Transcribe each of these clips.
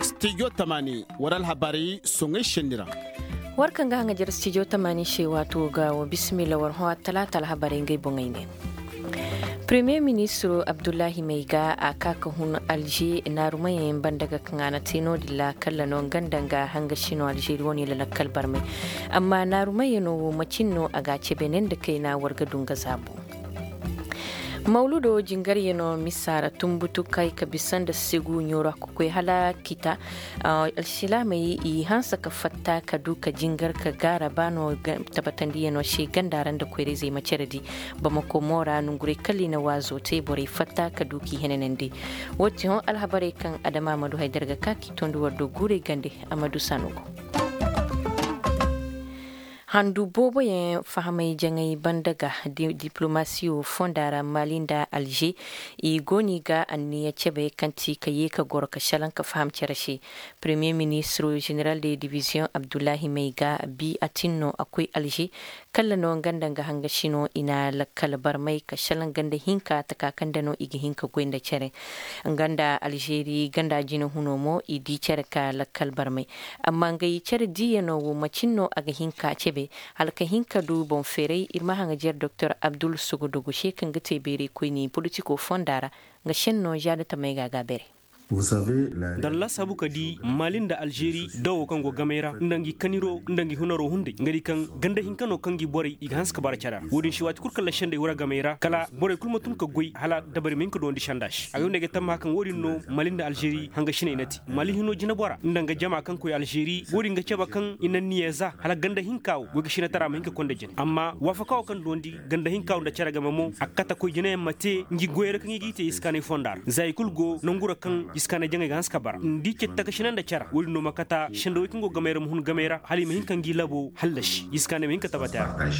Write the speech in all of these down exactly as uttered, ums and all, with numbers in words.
Stijo tamaani war alhabarey soŋey senni ra. War kaŋ ga haŋajer stijo tamaani se waato ga wa bisimilla war hõ attalaata alhabarey ngey boŋey ne. Premiyer ministiro abdullahi mayga a ka ka hun alže naarumayaŋ banda ga kaŋ a na te no-din ra kalla no nga nda nga hangasi no alžeri wane la lakkal barmay. Amma naarumayaŋo wo macin no a ga a cebe ne nda kayna war ga du nga zaabo. Mawludo jingaryaŋo misa ra tumbutu kay ka bisa nda segu ɲoora ka koy hala kita. Alsilaamey i hanse ka fatta ka du ka jingar ka gaara ba no tabatandiyaŋo se ganda ra nda koyra-izey ma care di. Bamako mo ra nonguray kala i na waazo te borey fatta ka du k'i henanandi. Wo ti hõ alhabarey kaŋ adama a ma du haydar ga ka k'i tondi war do guurey gande. A ma du sanugo. Handu booboyaŋ fahamay jaŋay banda ga diplomasiyo fonda ra mali nda alže. I go no i ga anniya cebe kaŋ ti ka ye ka goro ka salaŋ ka faham cere se. Premiyer ministiro jeneral de diviziyoŋ abdullahi mayga bi a tin no a koy alže. Kalla no nga nda nga hangasi no i na lakkal barmay ka salaŋ ganda hinka taka kaŋ nda no i ga hin ka goy nda cere. Nga nda alžeri ganda jinahuno mo i di cere ka lakkal barmay. Amma ngey cere diiyano wo macin no a ga hin ka cebe hala ka hin ka du boŋ feeray ir ma haŋajer doktor abdul sogodogo se kaŋ ga te beeraykoyni politiko fonda ra. Nga senno zaada tamey ga a ga a beeray. Nda laasaabu ka di mali nda alžeri dawo kaŋ go gamey ra nda ngi kaniro nda ngi hunaro hunday nga di kaŋ ganda hinka no kaŋ ngi borey i ga hanse ka bara care ra wo-din se waati kulu kaŋ ra sendey wara gamey ra kala borey kulu ma tun ka goy hala dabari ma hin ka duwandi senda se a ga yonda ay ga tammaha kaŋ wo-din no mali nda alžeri hangasiney na te. Mali hino jinabora nda nga jama kaŋ koy alžeri wo-din ga cabe kaŋ i na niya za hala ganda hinka wo goy ga sinatara ma hin ka konda jine amma waafaka wo kaŋ duwandi ganda hinka wo nda care game mo a ga kate koy jinayaŋ ma te ngi goyey ra kaŋ i g'i te iskaanay fonda ra za i kulu go nangu ra kaŋ iskaanay jaŋay ga hanse ka bara nda i ceti takasina nda care wo-din no ma kate sendawey kaŋ go gamey ra ma hun gamey ra hala i ma hin ka ngi labo hallasi iskaanay ma hin ka tabati a ra.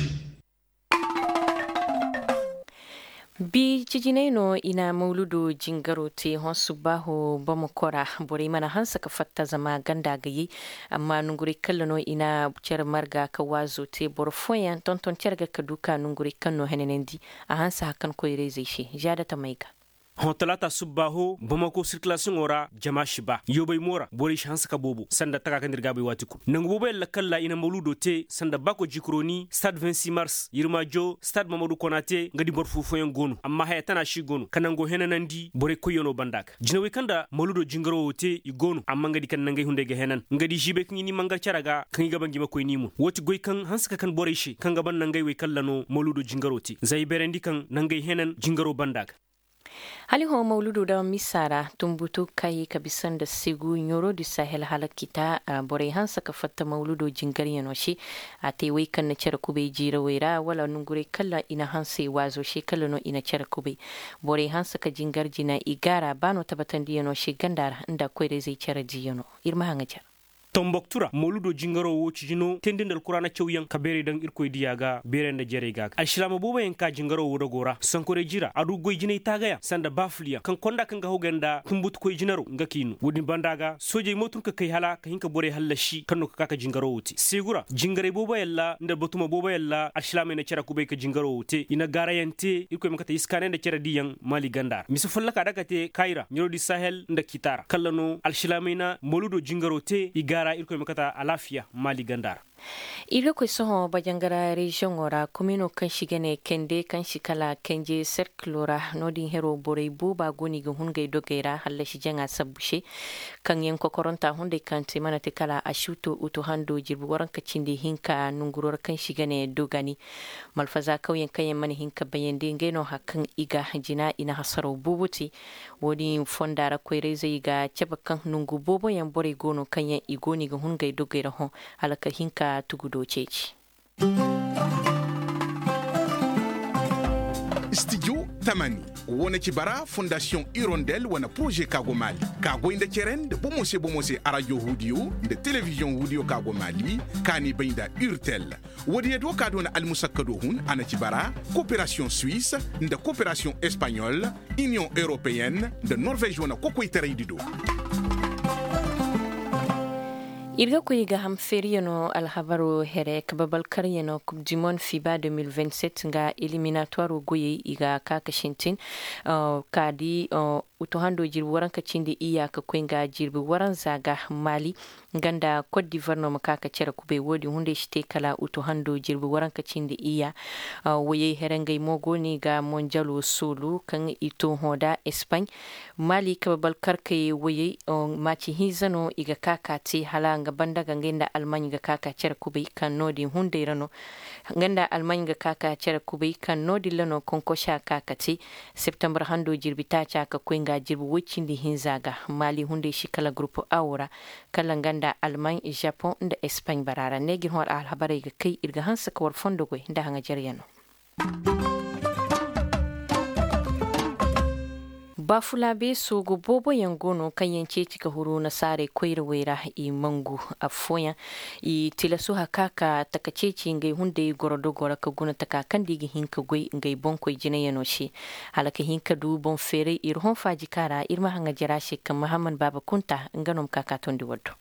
Bi cijinay no i na mawludo jingaro te hõ subbaaho bamako ra. Borey mana hanse ka fatta zama ganda ga yay. Amma nonguray kalla no i na cere marga ka waazo te boro fooyaŋ tonton cere ga ka du ka nonguray kaŋ no henanandi. A hanse hakan koyrayzey se zaada tamey ga. Hõ talaata subbaaho bamako sirkilasiyoŋo ra jama si ba yoobay mo ra borey si hanse ka boobo sanda taka kaŋ nda ir ga a bay waati kulu nangu booboyaŋ lakkal ra i na mawludo te sanda baako jikroni stade vingt six mars yirmaajo stade mamadu konate nga di boro foo fooyaŋ go no amma haya tana si go no ka nango henanandi borey koyyaŋo banda ga jinawey kaŋ nda mawludo jingaro wo te i go no amma nga di kaŋ nangey hunday ga henan nga di ziibey kaŋ i n'i mangar care ga kaŋ i ga ba ngi ma koy n'i mun wo ti goy kaŋ hanse ka kan borey se kaŋ ga ban nangey wey kalla no mawludo jingaro te za i beerandi kaŋ nangey henan jingaro banda ga. Hala i hõ mawludo daŋ misa ra tumbutu kay ka bisa nda segu ɲoro di sahel hala kita. Borey hanse ka fatta mawludo jingaryaŋo se a te wey kaŋ na care kubay jiirawey ra wala nonguray kala i na hanse waazo se kala no i na care kubay. Borey hanse ka jingar jina i gaara ba no tabatandiyaŋo se ganda ra nda koyrayzey care diiyaŋo. Ir ma haŋa care. Tomboktu ra mawludo jingaro wo ciji no teendi nda alkuraana cawyaŋ ka beeray daŋ irkoy diya ga beeray nda jerey ga ga alsilaama booboyaŋ ka jingaro wo dogo ra sankoray ji ra a du goy jinay taagayaŋ sanda baafulyaŋ kaŋ konda kaŋ ga hogay nda tumbutukoy jinaro nga k'i no wo-din banda ga soojey mo tun ka kay hala ka hin ka borey hallasi kaŋ no ka ka ka jingaro wo te seegu ra jingaray booboyaŋ ra nda batuma booboyaŋ ra alsilaamey na care kubay ka jingaro wo te i na gaarayaŋ te irkoy ma kate iskaanay nda care diyaŋ maali ganda ra mise folloka da ka te kayra ɲarodi sahel nda kita ra kalla no alsilaamey na mawludo jingaro te i gaara irkoy ma kate alaafiya maali ganda ra. Ir ga koy sohõ bajangara reziyoŋo ra komino kaŋ si ga ne kende kaŋ si kala kenje serkilo ra no-din hero borey booba go no i ga hun ngey dogey ra hallasi jaŋa sabbu se. Kaŋ yaŋ kokoronta hunday kaŋ te mana te kala a si uto uto hando jirbi waranka cindi hinka nonguro ra kaŋ si ga ne dogani. Malfaza kawyaŋ kaŋ yaŋ mana hin ka bayandi ngey no hari kaŋ i ga jina i na hasaraw boobo te. Wo-din fonda ra koyrayzey ga cabe kaŋ nongu booboyaŋ borey go no kaŋ yaŋ i go no i ga hun ngey dogey ra hõ hala ka hin ka tugudo ceeci. Studio tamani wane ci bara fondasiyoŋ hirondel wane poroze ka go maali ka goy nda cere nda bomo se bomo se arajo huudiyo nda telebiziyoŋ huudiyo ka go maali ka n'i bay nda hirtel. Woodiyo do ka doona almusakkado hun a na ci bara koperasiyoŋ suwis nda koperasiyoŋ espaɲol iniyoŋ europeyenne nda norvez wane kokoytaraydi do. Ir ga koy ga ham feeriyaŋo alhabaro here kababalkaryaŋo kub di mon fiba deux mille vingt-sept nga eliminatwaro goyey i ga ka ka sintin. Ka di Utu hando jirbi waranka cindi iyya ka koy nga jirbi waranza ga. Mali nga nda kot divar no ma ka ka cere kubay wo- din hunday si te kala utu hando jirbi waranka cindi iyya. Wayey here ngey mo go no i ga monjalo soolu kaŋ i to hõ nda espany. Mali kabe balkarkayey wayey, maaci hinza no i ga ka ka te hala nga banda ga ngey nda almaaɲ ga ka ka cere kubay kaŋ no- din hunday ra no. Nga nda almaaɲ ga ka ka cere kubay kaŋ no- din ra no konkosa ka ka te. Septembar hando jirbi taaca ka koy nga jirbi woy cindi hinza ga. Maali hunday si kala gurupu awo ra, kala nga nda almaaɲ, žapoŋ nda espaaɲ bara ra ne ga ir hõ alhabarey ga kay ir ga hanse ka war fondo goy nda haŋajaryaŋo. Baafulaabe soogo booboyaŋ go no kaŋ yaŋ ceeci ka huru nasaarey koyrawey ra. I mangu affooyaŋ i tilasu haka ka taka ceeci ngey hunday goro dogo ra ka guna taka kaŋ nda i ga hin ka goy ngey boŋkoy jinayaŋo se. Hala ka hin ka du boŋ feeray ir hõ faaji kaŋ ra ir ma haŋa jara se kaŋ mahamman baaba kunta nga no ma ka ka tondi war do.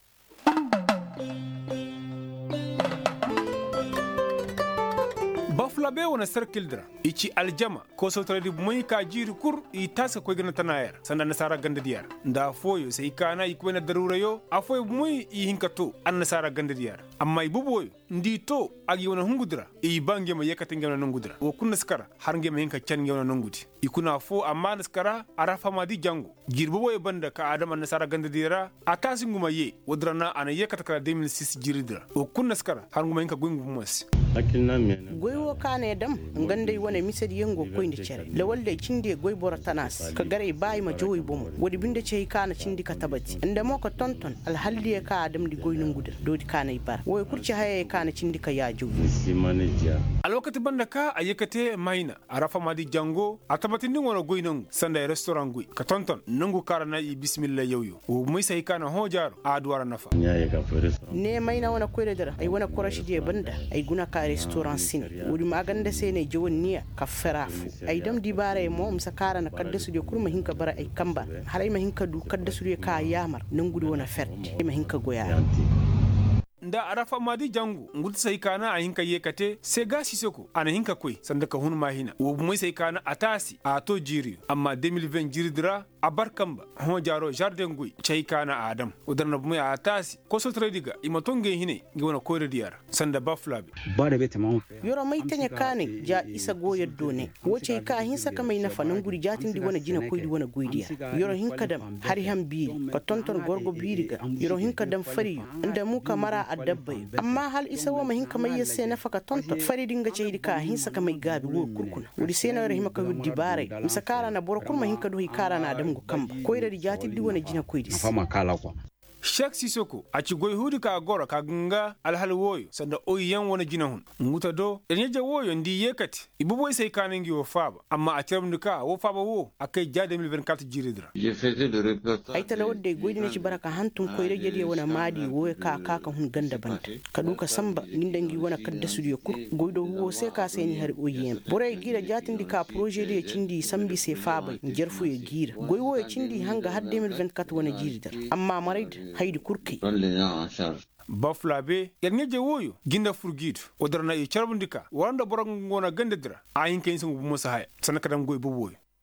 Bafulabe wane sarkil di ra i ci aljama koosawtaray di bumey ka jiiri kul i taasi ka koy ganda tana yaŋ ra sanda annasaara ganda diya ra. Nda affooyo se i kaana i koyna daruurayo affooyo bumey i hin ka to annasaara ganda diya ra. Amma i bubuwoyo nda i to a ga i wane hungu di ra i ba ngey ma yeekate ngey wane nongu di ra wo kul na si kara har ngey ma hin ka can ngey wane nongu di. I kuna affoo amma na si kara a ra fahama di jango jiiri bubuwoyo banda ka a dam annasaara ganda diya ra. A taasi ngu ma yee woodi ra na a na yeekate kala de mil sis jiiri di ra wo kul na si kara har ngu ma hin ka goy ngu bumo se. Goy wo kaŋ a na ay dam nga nda ay wane misediyaŋ go koyndi cere lawal day cindi ay goy boro tana se ka gar ay ba ay ma jaw ay bomo. Woodi binde ci hay kaŋ a na cindi ka tabati nda mo ka tonton alhaldiyo kaŋ a damndi goy nongu din doodi kaŋ a na ay bara woy kul ci hayey kaŋ a na cindi ka yaajaw. Alwakati banda ka a ye ka te mayna a ra fahama di jango a tabatindi nga wane goy nongu sanda ay restoraŋ goy ka tonton nongu kaŋ a ra na i bisimilla yawyo wo bumey se hay kaŋ a na hõ jaaro a du a ra nafa. Neemayna wane koyradi ra ay wane korošidiyey banda ay guna ka restoraŋ sine. Woodi maaganda se no ay jawanniya ka fera fo ay dam dibaarey mo mise kaŋ a ra na kaddasudiyo kul ma hin ka bara ay kamba ra hala ay ma hin ka du kaddasudiyo kaŋ a yaamar nongudi wane ferdi ay ma hin ka goy a ra. Nda a ra fahama di jangu ngu ti se hay kaana a hin ka yee ka te se ga sisoko a na hin ka koy sanda ka hun maahina wo bumey se hay kaana a taasi a to jiiriyo amma de mil ven jiiridi ra a bar kamba hõ jaaro žarden goy ci hay kaana a dam. Wo dara na bumey a taasi kosotoraydi ga i ma to ngey hinay ngey wane koyradiya ra sanda bafulabe. Yoro may taɲa kaanay ja isa go yaddo ne wo ci hay ka a hinsa ka may nafa nangudi jaatindi wane jinakoydi wane goydiya ra. Yoro hin ka dam hari han biiri ka tonton gorgo biiri ga. Yoro hin ka dam fariyo nda mu ka mara adabbayo amma hala isa wo ma hin ka may yer se nafa ka tonton faridi nga caydi ka a hinsa ka may gaabi wo kul kuna. Woodi se no yer hima ka wir dibaaray mise kaŋ ra na boro kul ma hin ka du hay kaŋ ra na a dam ngu kamba koyradi jaatiddi wane jinakoydi se. Sek sisoko a ci goy huudi ka goro ka ga nga alhal wooyo sanda oyiyaŋ wane jinahun. Ngu ta do yer ɲaje wooyo nda i yeekate i boboy se ay kaana ngi woo faaba amma a carabndi ka woo faaba woo a kay ja de mil vingt-quatre jiiridi ra. Ay talawar day goy din ci bara ka hantum koyra jediyo wane maadi wooyo ka a ka ka hun ganda banda ka du ka sanba ngi nda ngi wane kaddasudiyo kul. Goy do huwo se ka se ni hari oyiyaŋ borey giira jaatindi ka porožediyo cindi i sanba i se faabay njarfuyo giira goy wooyo cindi i hanga har de mil vingt-quatre wane jiiridi ra. Amma maray da haydi kul kay. Bafulabe yer ɲaje wooyo jinda fur gi du. Woo dara na i carabndi ka wara nda boro nga go na gandadi ra a hin ka hinsa ngu bumo si haya sanda ka dam goy boboyo.